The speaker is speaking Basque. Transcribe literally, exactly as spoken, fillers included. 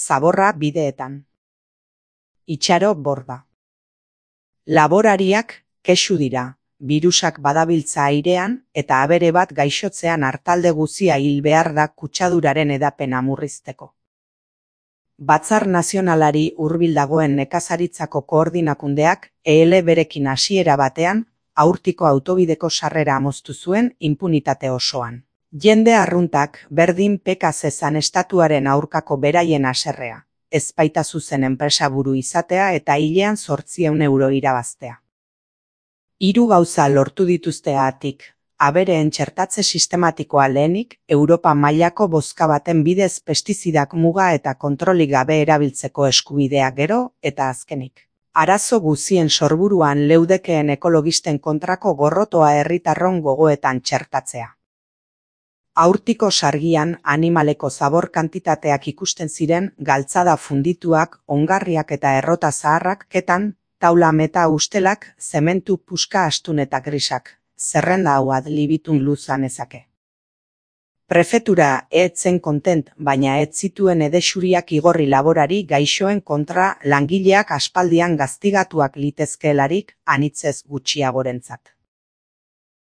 zaborra bideetan. Itxaro borda. Laborariak kexu dira, birusak badabiltza airean eta abere bat gaixotzean artalde guzia hil behar da kutsaduraren edapena murrizteko. Batzar Nazionalari hurbil dagoen nekazaritzako koordinakundeak E L berekin hasiera batean, Aurtiko autobideko sarrera moztu zuen inpunitate osoan. Jende arruntak berdin peka zezan estatuaren aurkako beraien haserrea, ez baita zuzen enpresaburu izatea eta hilean zortziehun euro irabaztea. Hiru gauza lortu dituzteagatik, abereen txertatze sistematikoa lehenik, Europa mailako bozka baten bidez pestizidak muga eta kontrolik gabe erabiltzeko eskubidea gero eta azkenik. Arazo guzien sorburuan leudekeen ekologisten kontrako gorrotoa herritarron gogoetan txertatzea. Aurtiko sargian animaleko zabor kantitateak ikusten ziren galtzada fundituak, ongarriak eta errota zaharrak ketan, taula meta ustelak, zementu puska astun eta grisak, zerrenda hau adlibitun luzan ezake. Prefetura etzen kontent, baina ez zituen edexuriak igorri laborari gaixoen kontra langileak aspaldian gaztigatuak litezkeelarik anitzez gutxiagorentzat.